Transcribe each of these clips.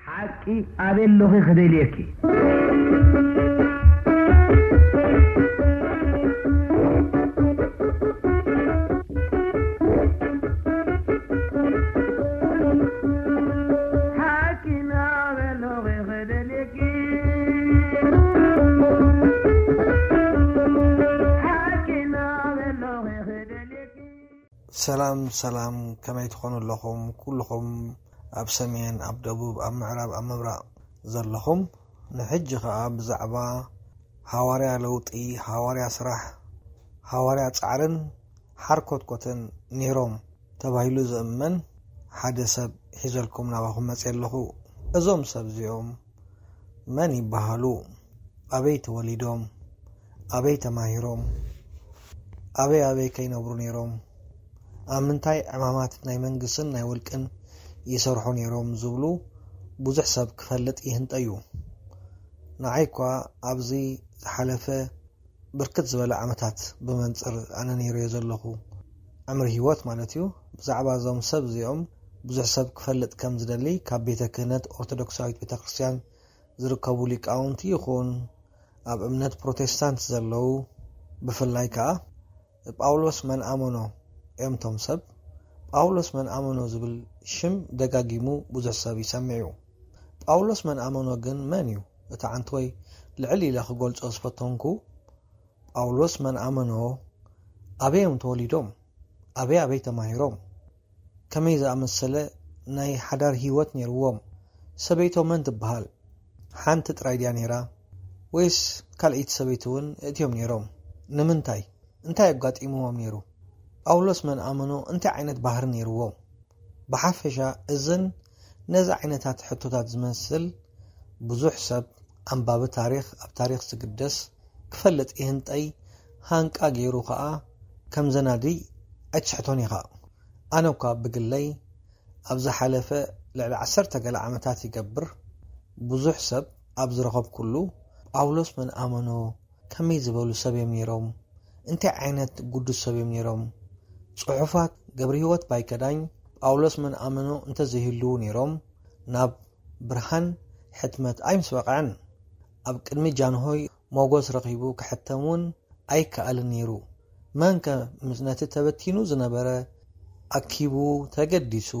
ሓቂ ኣበይ ኣለኺ ክደልየኪ? ሓቂ ኣበይ ኣለኺ ክደልየኪ? ሓቂ ኣበይ ኣለኺ ክደልየኪ? ሰላም ሰላም፣ ከመይ ትኾኑ ኣለኹም? ኩልኹም ኣብ ሰሜን፣ ኣብ ደቡብ፣ ኣብ ምዕራብ፣ ኣብ ምብራቕ ዘለኹም፣ ንሕጂ ኸኣ ብዛዕባ ሃዋርያ ለውጢ፣ ሃዋርያ ስራሕ፣ ሃዋርያ ጻዕርን ሓርኮትኮትን ነይሮም ተባሂሉ ዝእመን ሓደ ሰብ ሒዘልኩም ናባኹም መጽየ ኣለኹ። እዞም ሰብ እዚኦም መን ይበሃሉ? ኣበይ ተወሊዶም? ኣበይ ተማሂሮም? ኣበይ ኣበይ ከይነብሩ ነይሮም? ኣብ ምንታይ ዕማማት ናይ መንግስትን ናይ ውልቅን ይሰርሑ ነይሮም ዝብሉ ብዙሕ ሰብ ክፈልጥ ይህንጠ እዩ። ንዓይ እኳ ኣብዚ ዝሓለፈ ብርክት ዝበለ ዓመታት ብመንጽር ኣነ ነይረዮ ዘለኹ ዕምሪ ህይወት ማለት እዩ። ብዛዕባ እዞም ሰብ እዚኦም ብዙሕ ሰብ ክፈልጥ ከም ዝደሊ ካብ ቤተ ክህነት ኦርቶዶክሳዊት ቤተ ክርስቲያን ዝርከቡ ሊቃውንቲ ይኹን ኣብ እምነት ፕሮቴስታንት ዘለዉ፣ ብፍላይ ከኣ ጳውሎስ መን ኣመኖ እዮም እቶም ሰብ። ጳውሎስ መን ኣመኖ ዝብል ሽም ደጋጊሙ ብዙሕ ሰብ ይሰምዕ እዩ። ጳውሎስ መን ኣመኖ ግን መን እዩ? እቲ ዓንተወይ ልዕል ኢለ ክገልጾ ዝፈተንኩ፣ ጳውሎስ መን ኣመኖ ኣበይ እዮም ተወሊዶም? ኣበይ ኣበይ ተማሂሮም? ከመይ ዝኣመሰለ ናይ ሓዳር ህይወት ነይርዎም? ሰበይቶም መን ትበሃል? ሓንቲ ጥራይ ድያ ነይራ? ወይስ ካልኣይቲ ሰበይቲ እውን እእትዮም ነይሮም? ንምንታይ? እንታይ ኣጋጢምዎም ነይሩ? ጳውሎስ መን ኣመኖ እንታይ ዓይነት ባህሪ ነይርዎም? ብሓፈሻ እዝን ነዚ ዓይነታት ሕቶታት ዝመስል ብዙሕ ሰብ ኣንባቢ ታሪኽ ኣብ ታሪኽ ዝግደስ ክፈልጥ ይህንጠይ ሃንቃ ገይሩ ኸኣ ከም ዘናዲ ኣይትስሕቶን ኢኻ። ኣነ እኳ ብግለይ ኣብ ዝሓለፈ ልዕሊ ዓሰርተ ገለ ዓመታት ይገብር ብዙሕ ሰብ ኣብ ዝረኸብኩሉ ጳውሎስ መን ኣመኖ ከመይ ዝበሉ ሰብ እዮም ነይሮም? እንታይ ዓይነት ግዱስ ሰብ እዮም ነይሮም? ጽሑፋት ገብረ ህይወት ባይከዳኝ ጳውሎስ መን ኣመኖ እንተዘይህልዉ ነይሮም ናብ ብርሃን ሕትመት ኣይምስ በቕዐን። ኣብ ቅድሚ ጃንሆይ ሞጎስ ረኺቡ ክሕተም እውን ኣይከኣልን ነይሩ። መንከ ምስ ነቲ ተበቲኑ ዝነበረ ኣኪቡ ተገዲሱ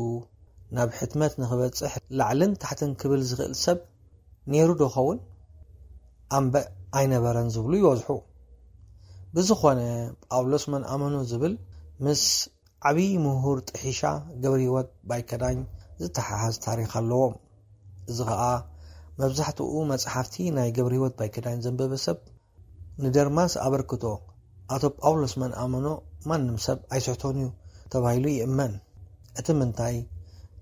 ናብ ሕትመት ንኽበጽሕ ላዕልን ታሕትን ክብል ዝኽእል ሰብ ነይሩ ዶ ኸውን? ኣምበእ ኣይነበረን ዝብሉ ይበዝሑ። ብዝኾነ ጳውሎስ መን ኣመኖ ዝብል ምስ ዓብዪ ምሁር ጥሒሻ ገብረ ህይወት ባይከዳኝ ዝተሓሓዝ ታሪኽ ኣለዎም። እዚ ኸኣ መብዛሕትኡ መጽሓፍቲ ናይ ገብረ ህይወት ባይከዳኝ ዘንበበ ሰብ ንደርማስ ኣበርክቶ ኣቶ ጳውሎስ መን ኣመኖ ማንም ሰብ ኣይስሕቶን እዩ ተባሂሉ ይእመን። እቲ ምንታይ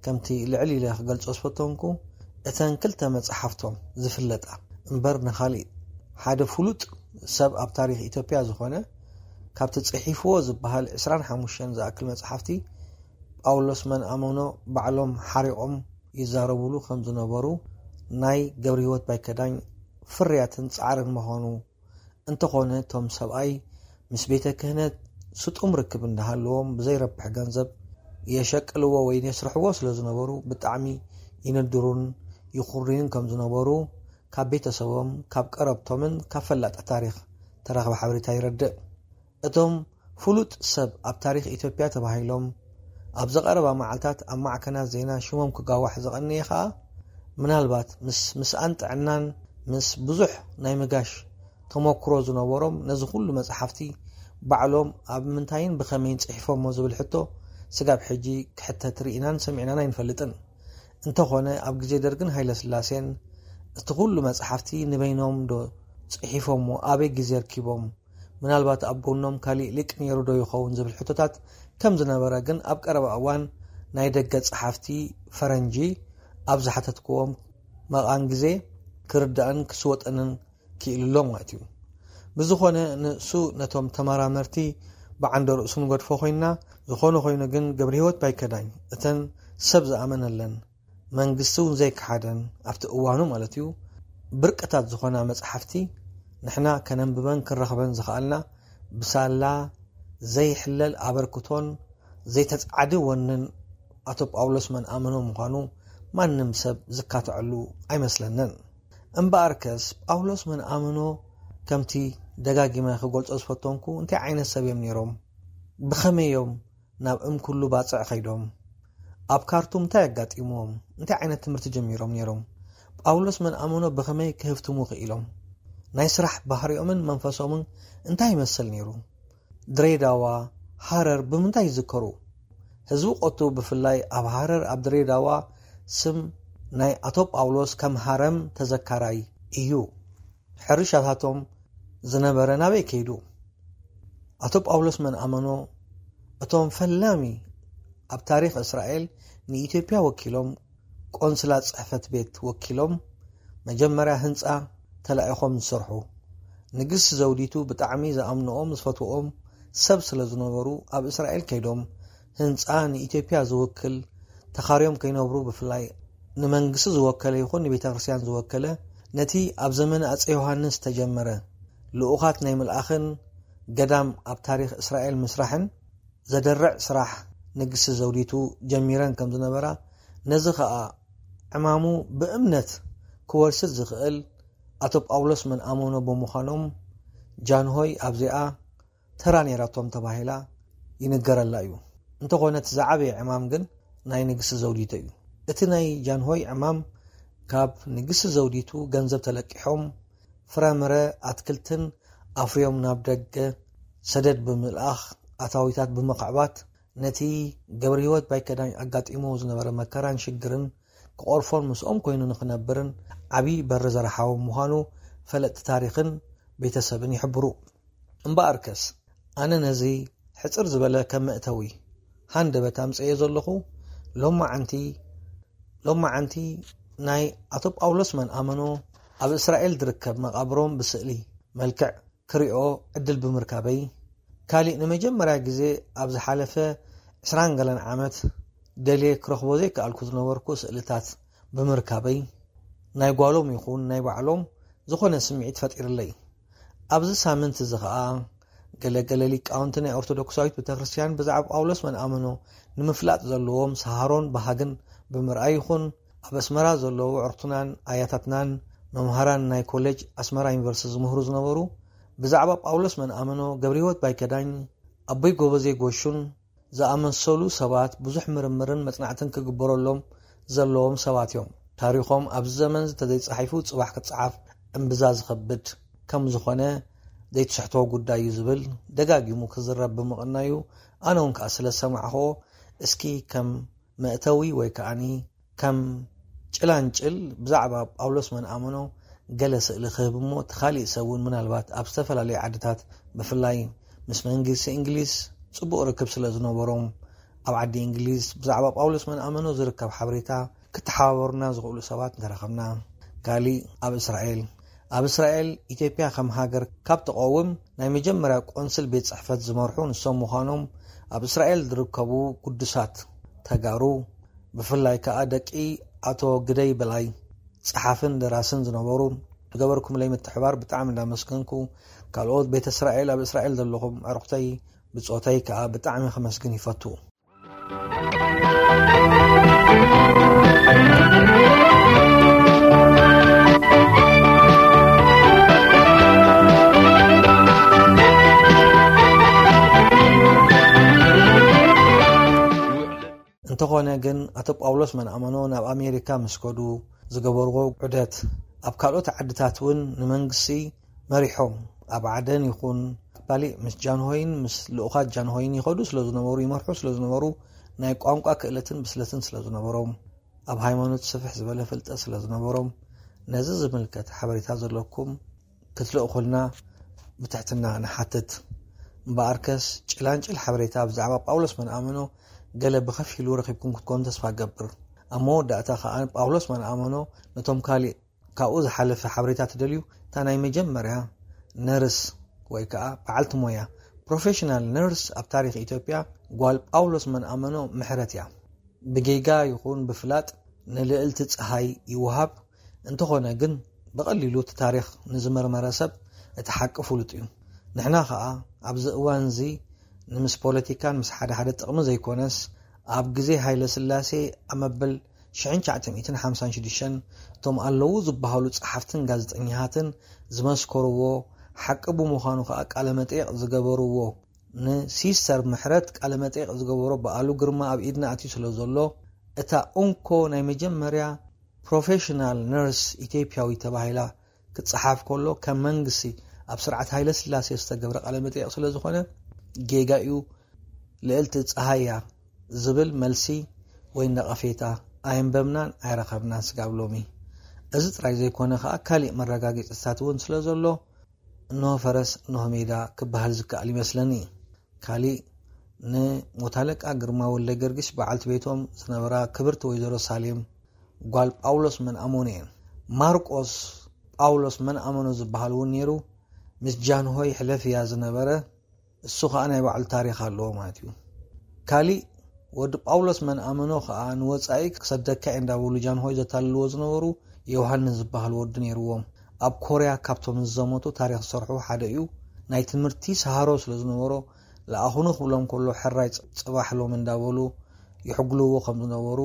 ከምቲ ልዕል ኢለ ክገልጾ ዝፈተንኩ እተን ክልተ መጽሓፍቶም ዝፍለጣ እምበር ንኻልእ ሓደ ፍሉጥ ሰብ ኣብ ታሪኽ ኢትዮጵያ ዝኾነ ካብቲ ጽሒፍዎ ዝበሃል ዕስራን ሓሙሽተን ዝኣክል መጽሓፍቲ ጳውሎስ መን ኣመኖ ባዕሎም ሓሪቖም ይዛረቡሉ ከም ዝነበሩ ናይ ገብረ ህይወት ባይከዳኝ ፍርያትን ጻዕርን ምዃኑ እንተኾነ እቶም ሰብኣይ ምስ ቤተ ክህነት ስጡም ርክብ እንዳሃለዎም ብዘይረብሕ ገንዘብ የሸቅልዎ ወይ የስርሕዎ ስለ ዝነበሩ ብጣዕሚ ይንድሩን ይኹርዩን ከም ዝነበሩ ካብ ቤተሰቦም ካብ ቀረብቶምን ካብ ፈላጢ ታሪኽ ተረኽበ ሓበሬታ ይረድእ። እቶም ፍሉጥ ሰብ ኣብ ታሪኽ ኢትዮጵያ ተባሂሎም ኣብ ዝቐረባ መዓልታት ኣብ ማዕከናት ዜና ሽሞም ክጋዋሕ ዝቐነየ ኸኣ ምናልባት ምስ ምስኣን ጥዕናን ምስ ብዙሕ ናይ ምጋሽ ተመክሮ ዝነበሮም ነዚ ኩሉ መጽሓፍቲ ባዕሎም ኣብ ምንታይን ብኸመይን ጽሒፎሞ ዝብል ሕቶ ስጋብ ሕጂ ክሕተት ርኢናን ሰሚዕናን ኣይንፈልጥን። እንተኾነ ኣብ ግዜ ደርግን ሃይለስላሴን እቲ ኩሉ መጽሓፍቲ ንበይኖም ዶ ጽሒፎሞ ኣበይ ግዜ ኣርኪቦም ምናልባት ኣብ ጎኖም ካሊእ ሊቅ ነይሩ ዶ ይኸውን ዝብል ሕቶታት ከም ዝነበረ ግን ኣብ ቀረባ እዋን ናይ ደገ ጸሓፍቲ ፈረንጂ ኣብ ዝሓተትክዎም መቓን ግዜ ክርዳእን ክስወጠንን ክኢሉ ኣሎ ማለት እዩ። ብዝኾነ ንሱ ነቶም ተመራመርቲ ብዓንደ ርእሱ ንገድፎ ኮይንና ዝኾነ ኮይኑ ግን ገብረ ህይወት ባይከዳኝ እተን ሰብ ዝኣመነለን መንግስቲ እውን ዘይከሓደን ኣብቲ እዋኑ ማለት እዩ ብርቅታት ዝኾና መፅሓፍቲ ንሕና ከነንብበን ክንረኽበን ዝኸኣልና ብሳላ ዘይሕለል ኣበርክቶን ዘይተፃዓዲ ወንን ኣቶ ጳውሎስ መንኣመኖ ምዃኑ ማንም ሰብ ዝካትዐሉ ኣይመስለንን። እምበኣርከስ ጳውሎስ መን ኣመኖ ከምቲ ደጋጊመ ክገልጾ ዝፈተንኩ እንታይ ዓይነት ሰብ እዮም ነይሮም? ብኸመይ እዮም ናብ እምኩሉ ባጽዕ ከይዶም? ኣብ ካርቱም እንታይ ኣጋጢምዎም? እንታይ ዓይነት ትምህርቲ ጀሚሮም ነይሮም? ጳውሎስ መን ኣመኖ ብኸመይ ክህፍትሙ ክኢሎም? ናይ ስራሕ ባህሪኦምን መንፈሶምን እንታይ ይመስል ነይሩ? ድሬዳዋ፣ ሃረር ብምንታይ ይዝከሩ? ህዝቢ ቆቱ ብፍላይ ኣብ ሃረር ኣብ ድሬዳዋ ስም ናይ ኣቶ ጳውሎስ ከም ሃረም ተዘካራይ እዩ። ሕርሻታቶም ዝነበረ ናበይ ከይዱ? ኣቶ ጳውሎስ መን ኣመኖ እቶም ፈላሚ ኣብ ታሪኽ እስራኤል ንኢትዮጵያ ወኪሎም ቆንስላ ጽሕፈት ቤት ወኪሎም መጀመርያ ህንጻ ተላኢኾም ዝሰርሑ። ንግስቲ ዘውዲቱ ብጣዕሚ ዝኣምንኦም ዝፈትዎም ሰብ ስለ ዝነበሩ ኣብ እስራኤል ከይዶም ህንጻ ንኢትዮጵያ ዝውክል ተኻርዮም ከይነብሩ ብፍላይ ንመንግስቲ ዝወከለ ይኹን ንቤተ ክርስቲያን ዝወከለ ነቲ ኣብ ዘመነ ኣጼ ዮሃንስ ዝተጀመረ ልኡኻት ናይ ምልኣኽን ገዳም ኣብ ታሪኽ እስራኤል ምስራሕን ዘደርዕ ስራሕ ንግስቲ ዘውዲቱ ጀሚረን ከም ዝነበራ ነዚ ኸኣ ዕማሙ ብእምነት ክወርስድ ዝኽእል ኣቶ ጳውሎስ መን ኣመኖ ብምዃኖም ጃንሆይ ኣብዚኣ ተራ ነይራቶም ተባሂላ ይንገረላ እዩ። እንተኾነ እቲ ዝዓበየ ዕማም ግን ናይ ንግስቲ ዘውዲቱ እዩ። እቲ ናይ ጃንሆይ ዕማም ካብ ንግስቲ ዘውዲቱ ገንዘብ ተለቂሖም ፍራምረ ኣትክልትን ኣፍርዮም ናብ ደገ ሰደድ ብምልኣኽ ኣታዊታት ብምኽዕባት ነቲ ገብረ ህይወት ባይከዳኝ ኣጋጢሞ ዝነበረ መከራን ሽግርን ክቐርፎን ምስኦም ኮይኑ ንኽነብርን ዓብዪ በሪ ዘርሓዎም ምዃኑ ፈለጥቲ ታሪኽን ቤተሰብን ይሕብሩ። እምበኣርከስ ኣነ ነዚ ሕጽር ዝበለ ከም መእተዊ ሃንደበት ኣምጽኤ ዘለኹ ሎማዓንቲ ሎማዓንቲ ናይ ኣቶ ጳውሎስ መን ኣመኖ ኣብ እስራኤል ዝርከብ መቓብሮም ብስእሊ መልክዕ ክሪኦ ዕድል ብምርካበይ ካሊእ ንመጀመርያ ግዜ ኣብ ዝሓለፈ ዕስራን ገለን ዓመት ደልየ ክረኽቦ ዘይከኣልኩ ዝነበርኩ ስእልታት ብምርካበይ ናይ ጓሎም ይኹን ናይ ባዕሎም ዝኾነ ስምዒት ፈጢርለይ። ኣብዚ ሳምንት እዚ ኸኣ ገለ ገለ ሊቃውንቲ ናይ ኦርቶዶክሳዊት ቤተክርስትያን ብዛዕባ ጳውሎስ መን ኣመኖ ንምፍላጥ ዘለዎም ሰሃሮን ባህግን ብምርኣይ ይኹን ኣብ ኣስመራ ዘለዉ ኣዕሩኽትናን ኣያታትናን መምሃራን ናይ ኮሌጅ ኣስመራ ዩኒቨርሲቲ ዝምህሩ ዝነበሩ ብዛዕባ ጳውሎስ መን ኣመኖ ገብረ ህይወት ባይከዳኝ ኣቦይ ጎበዜ ጎሹን ዝኣመሰሉ ሰባት ብዙሕ ምርምርን መጽናዕትን ክግበረሎም ዘለዎም ሰባት እዮም። ታሪኾም ኣብዚ ዘመን እንተዘይጸሒፉ ጽባሕ ክጸሓፍ እምብዛ ዝኸብድ ከም ዝኾነ ዘይትስሕቶ ጉዳይ እዩ ዝብል ደጋጊሙ ክዝረብ ብምቕናዩ ኣነ እውን ከኣ ስለ ዝሰማዕኽዎ እስኪ ከም መእተዊ ወይ ከኣኒ ከም ጭላንጭል ብዛዕባ ጳውሎስ መን ኣመኖ ገለ ስእሊ ክህብ እሞ እቲ ካሊእ ሰብ እውን ምናልባት ኣብ ዝተፈላለዩ ዓድታት ብፍላይ ምስ መንግስቲ እንግሊዝ ጽቡቕ ርክብ ስለ ዝነበሮም ኣብ ዓዲ እንግሊዝ ብዛዕባ ጳውሎስ መን ኣመኖ ዝርከብ ሓበሬታ ክተሓባበሩና ዝኽእሉ ሰባት እንተረኸብና። ካሊእ ኣብ እስራኤል ኣብ እስራኤል ኢትዮጵያ ከም ሃገር ካብ ትቐውም ናይ መጀመርያ ቆንስል ቤት ጽሕፈት ዝመርሑ ንሶም ምዃኖም ኣብ እስራኤል ዝርከቡ ግዱሳት ተጋሩ ብፍላይ ከኣ ደቂ ኣቶ ግደይ በላይ ጸሓፍን ደራስን ዝነበሩ ዝገበርኩምለይ ምትሕባር ብጣዕሚ እንዳመስገንኩ ካልኦት ቤተ እስራኤል ኣብ እስራኤል ዘለኹም ኣዕሩኽተይ ብጾተይ ከኣ ብጣዕሚ ከመስግን ይፈቱ። እንተኾነ ግን ኣቶ ጳውሎስ መንኣመኖ ናብ ኣሜሪካ ምስ ከዱ ዝገበርዎ ዑደት ኣብ ካልኦት ዓድታት እውን ንመንግስቲ መሪሖም ኣብ ዓደን ይኹን ባሊእ ምስ ጃንሆይን ምስ ልኡኻት ጃንሆይን ይኸዱ ስለ ዝነበሩ ይመርሑ ስለ ዝነበሩ ናይ ቋንቋ ክእለትን ብስለትን ስለ ዝነበሮም ኣብ ሃይማኖት ስፍሕ ዝበለ ፍልጠት ስለ ዝነበሮም ነዚ ዝምልከት ሓበሬታ ዘለኩም ክትልእኹልና ብትሕትና ንሓትት። እምበኣርከስ ጭላንጭል ሓበሬታ ብዛዕባ ጳውሎስ መንኣመኖ ገለ ብኸፊሉ ረኺብኩም ክትኮኑ ተስፋ እገብር። ኣብ መወዳእታ ከኣ ጳውሎስ መንኣመኖ ነቶም ካሊእ ካብኡ ዝሓለፈ ሓበሬታ ትደልዩ እታ ናይ መጀመርያ ነርስ ወይ ከኣ በዓልቲ ሞያ ፕሮፌሽናል ነርስ ኣብ ታሪኽ ኢትዮጵያ ጓል ጳውሎስ መንኣመኖ ምሕረት እያ። ብጌጋ ይኹን ብፍላጥ ንልእልቲ ጸሃይ ይወሃብ። እንተኾነ ግን ብቐሊሉ እቲ ታሪኽ ንዝመርመረ ሰብ እቲ ሓቂ ፍሉጥ እዩ። ንሕና ኸኣ ኣብዚ እዋን እዚ ንምስ ፖለቲካን ምስ ሓደ ሓደ ጥቕሚ ዘይኮነስ ኣብ ግዜ ሃይለ ስላሴ ኣብ መበል ሽ956 እቶም ኣለዉ ዝበሃሉ ጸሓፍትን ጋዜጠኛታትን ዝመስከርዎ ሓቂ ብምዃኑ ከኣ ቃለ መጠይቕ ዝገበርዎ ንሲስተር ምሕረት ቃለ መጠይቕ ዝገበሮ በኣሉ ግርማ ኣብ ኢድና ኣትዩ ስለ ዘሎ እታ እንኮ ናይ መጀመርያ ፕሮፌሽናል ነርስ ኢትዮጵያዊ ተባሂላ ክጸሓፍ ከሎ ከም መንግስቲ ኣብ ስርዓት ሃይለ ስላሴ ዝተገብረ ቃለ መጠይቕ ስለ ዝኾነ ጌጋ እዩ። ልዕልቲ ጸሃያ ዝብል መልሲ ወይ ነቐፌታ ኣየንበብናን ኣይረኸብናን ስጋብ ሎሚ። እዚ ጥራይ ዘይኮነ ከኣ ካሊእ መረጋገጽታት እውን ስለ ዘሎ እንሆ ፈረስ እንሆ ሜዳ ክበሃል ዝከኣል ይመስለኒ። ካሊእ ንሞት ኣለቃ ግርማ ወልደ ገርጊስ በዓልቲ ቤቶም ዝነበራ ክብርቲ ወይዘሮ ሳሌም ጓል ጳውሎስ መንኣሞኖ እየን። ማርቆስ ጳውሎስ መንኣመኖ ዝበሃል እውን ነይሩ። ምስ ጃንሆይ ሕለፍያ ዝነበረ እሱ ኸዓ ናይ ባዕሉ ታሪኽ ኣለዎ ማለት እዩ። ካሊእ ወዲ ጳውሎስ መንኣመኖ ኸዓ ንወጻኢ ክሰደካ እየ እንዳበሉ ጃንሆይ ዘታልልዎ ዝነበሩ ዮሃንስ ዝበሃል ወዲ ነይርዎም። ኣብ ኮርያ ካብቶም ዝዘመቱ ታሪኽ ዝሰርሑ ሓደ እዩ። ናይ ትምህርቲ ሰሃሮ ስለ ዝነበሮ ለኣኹኑ ክብሎም ከሎ ሕራይ ጽ- ጽባሕ ሎም እንዳበሉ ይሕግልዎ ከም ዝነበሩ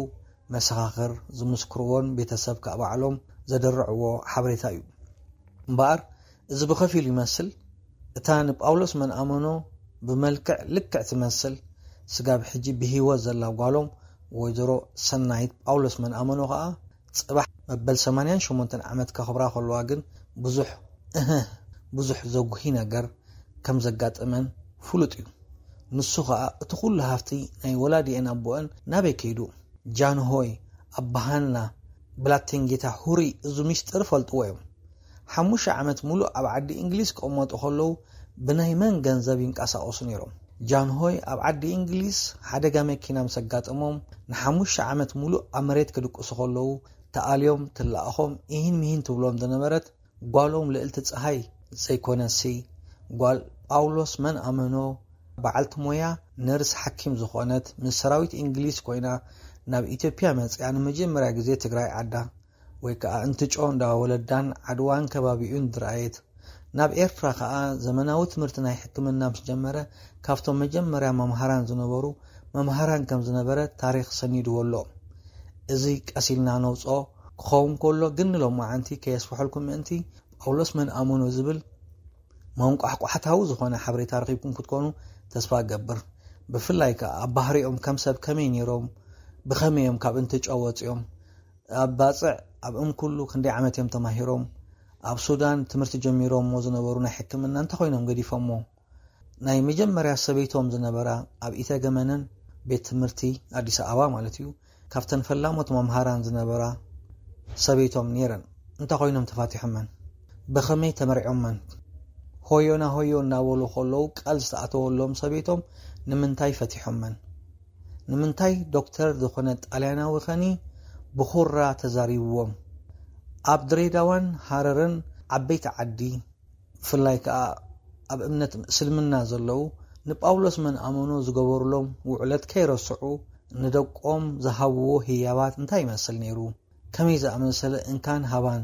መሰኻኽር ዝምስክርዎን ቤተሰብ ከኣ ባዕሎም ዘደርዕዎ ሓበሬታ እዩ። እምበኣር እዚ ብኸፊል ይመስል እታ ንጳውሎስ መንኣመኖ ብመልክዕ ልክዕ ትመስል ስጋብ ሕጂ ብህይወት ዘላ ጓሎም ወይዘሮ ሰናይት ጳውሎስ መንኣመኖ ከኣ ጽባሕ መበል ሰማንያን ሸሞንተን ዓመት ከኽብራ ከለዋ ግን ብዙሕ እህ ብዙሕ ዘጉሂ ነገር ከም ዘጋጠመን ፍሉጥ እዩ። ንሱ ከኣ እቲ ኩሉ ሃፍቲ ናይ ወላዲኤን ኣቦአን ናበይ ከይዱ? ጃንሆይ ኣባሃና ብላቴን ጌታ ሁሪ እዚ ሚስጥር ፈልጥዎ እዮም። ሓሙሽተ ዓመት ሙሉእ ኣብ ዓዲ እንግሊዝ ክቕመጡ ከለዉ ብናይ መን ገንዘብ ይንቀሳቐሱ ነይሮም? ጃንሆይ ኣብ ዓዲ እንግሊዝ ሓደጋ መኪና ምስ ኣጋጠሞም ንሓሙሽተ ዓመት ሙሉእ ኣብ መሬት ክድቅሱ ከለዉ ተኣልዮም ትለኣኾም ኢሂን ሚሂን ትብሎም ዝነበረት ጓሎም ልእልቲ ፀሃይ ዘይኮነሲ ጓል ጳውሎስ መን ኣመኖ በዓልቲ ሞያ ነርስ ሓኪም ዝኾነት ምስ ሰራዊት እንግሊዝ ኮይና ናብ ኢትዮጵያ መፅያ ንመጀመርያ ግዜ ትግራይ ዓዳ ወይ ከዓ እንትጮ እንዳወለዳን ዓድዋን ከባቢኡን ዝረኣየት ናብ ኤርትራ ከዓ ዘመናዊ ትምህርቲ ናይ ሕክምና ምስ ጀመረ ካብቶም መጀመርያ መምሃራን ዝነበሩ መምሃራን ከም ዝነበረ ታሪክ ሰኒድዎ ኣሎ። እዚ ቀስ ኢልና ነውፅኦ ክኸውን ከሎ ግን ንሎማዓንቲ ከየስፍሐልኩም ምእንቲ ጳውሎስ መን ኣመኖ ዝብል መንቋሕቋሕታዊ ዝኾነ ሓበሬታ ረኺብኩም ክትኮኑ ተስፋ እገብር። ብፍላይ ከዓ ኣብ ባህሪኦም ከም ሰብ ከመይ ነይሮም፣ ብኸመይ እዮም ካብ እንትጫ ወፂኦም፣ ኣብ ባፅዕ ኣብ እምኩሉ ክንደይ ዓመት እዮም ተማሂሮም፣ ኣብ ሱዳን ትምህርቲ ጀሚሮሞ ዝነበሩ ናይ ሕክምና እንተኾይኖም ገዲፎሞ ናይ መጀመርያ ሰበይቶም ዝነበራ ኣብ ኢተገመነን ቤት ትምህርቲ ኣዲስ ኣበባ ማለት እዩ ካብተን ፈላሞት መምሃራን ዝነበራ ሰበይቶም ነይረን። እንታይ ኮይኖም ተፋቲሖመን? ብኸመይ ተመርዖመን? ሆዮና ሆዮ እናበሉ ከለዉ ቃል ዝተኣተወሎም ሰበይቶም ንምንታይ ፈቲሖመን? ንምንታይ ዶክተር ዝኾነ ጣልያናዊ ኸኒ ብኹራ ተዛሪብዎም? ኣብ ድሬዳዋን ሃረርን ዓበይቲ ዓዲ ብፍላይ ከኣ ኣብ እምነት እስልምና ዘለዉ ንጳውሎስ መን ኣመኖ ዝገበሩሎም ውዕለት ከይረስዑ ንደቆም ዝሃብዎ ህያባት እንታይ ይመስል ነይሩ? ከመይ ዝኣመሰለ እንካን ሃባን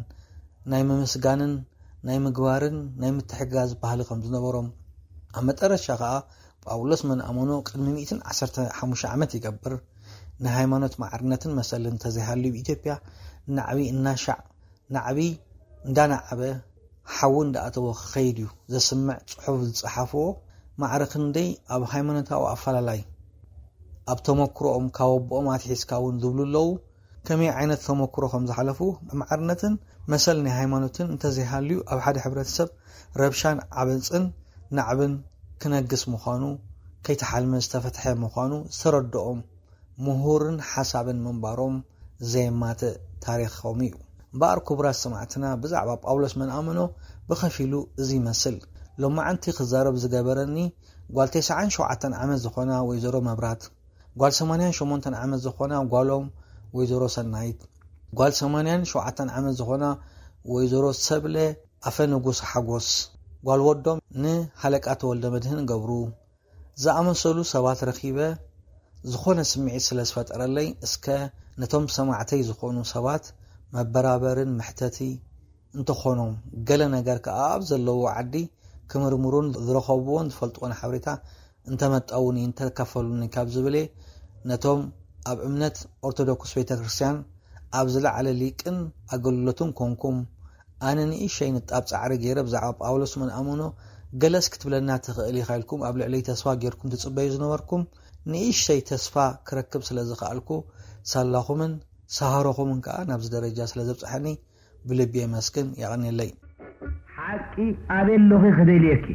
ናይ ምምስጋንን ናይ ምግባርን ናይ ምትሕግጋዝ ባህሊ ከም ዝነበሮም ኣብ መጠረሻ ከኣ ጳውሎስ መን ኣመኖ ቅድሚ ሚእትን ዓሰርተ ሓሙሽተ ዓመት ይገብር ንሃይማኖት ማዕርነትን መሰልን እንተዘይሃልዩ ኢትዮጵያ ናዕቢ እናሻዕ ናዕቢ እንዳናዓበ ሓዊ እንዳኣተወ ክኸይድ እዩ ዘስምዕ ጽሑፍ ዝጸሓፍዎ ማዕረ ክንደይ ኣብ ሃይማኖታዊ ኣፈላላይ ኣብ ተመክሮኦም ካብ ኣቦኦም ኣትሒዝካ እውን ዝብሉ ኣለዉ። ከመይ ዓይነት ተመክሮ ከም ዝሓለፉ ማዕርነትን መሰል ናይ ሃይማኖትን እንተዘይሃልዩ ኣብ ሓደ ሕብረተሰብ ረብሻን ዓበፅን ናዕብን ክነግስ ምዃኑ ከይተሓልመ ዝተፈትሐ ምዃኑ ዝተረድኦም ምሁርን ሓሳብን ምንባሮም ዘየማትእ ታሪኾም እዩ። እምበኣር ክቡራት ሰማዕትና ብዛዕባ ጳውሎስ መንኣመኖ ብኸፊሉ እዚ ይመስል። ሎማዓንቲ ክዛረብ ዝገበረኒ ጓል ተስዓን ሸውዓተን ዓመት ዝኾና ወይዘሮ መብራት፣ ጓል ሰማንያን ሸሞንተን ዓመት ዝኾና ጓሎም ወይዘሮ ሰናይት፣ ጓል ሰማንያን ሸውዓተን ዓመት ዝኾና ወይዘሮ ሰብለ ኣፈ ንጉስ ሓጎስ፣ ጓል ወዶም ንሃለቃ ተወልደ መድህን ገብሩ፣ ዝኣመሰሉ ሰባት ረኺበ ዝኾነ ስምዒት ስለ ዝፈጠረለይ እስከ ነቶም ሰማዕተይ ዝኾኑ ሰባት መበራበርን መሕተቲ እንተኾኖም ገለ ነገር ከኣ ኣብ ዘለዎ ዓዲ ክምርምሩን ዝረኸብዎን ዝፈልጥዎን ሓበሬታ እንተመጣውኒ እንተካፈሉኒ ካብ ዝብል እየ ነቶም ኣብ እምነት ኦርቶዶክስ ቤተ ክርስቲያን ኣብ ዝለዓለ ሊቅን ኣገልግሎትን ኮንኩም፣ ኣነ ንእሽተይ ንጣብ ጻዕሪ ገይረ ብዛዕባ ጳውሎስ ምን ኣምኖ ገለስ ክትብለና ትኽእል ኢኻ ኢልኩም ኣብ ልዕለይ ተስፋ ጌርኩም ትጽበዩ ዝነበርኩም፣ ንእሽተይ ተስፋ ክረክብ ስለ ዝኸኣልኩ፣ ሳላኹምን ሳህሮኹምን ከኣ ናብዚ ደረጃ ስለ ዘብጽሐኒ ብልቢ የመስግን። የቐንየለይ። ሓቂ ኣበይ ኣለኺ ክደልየኪ?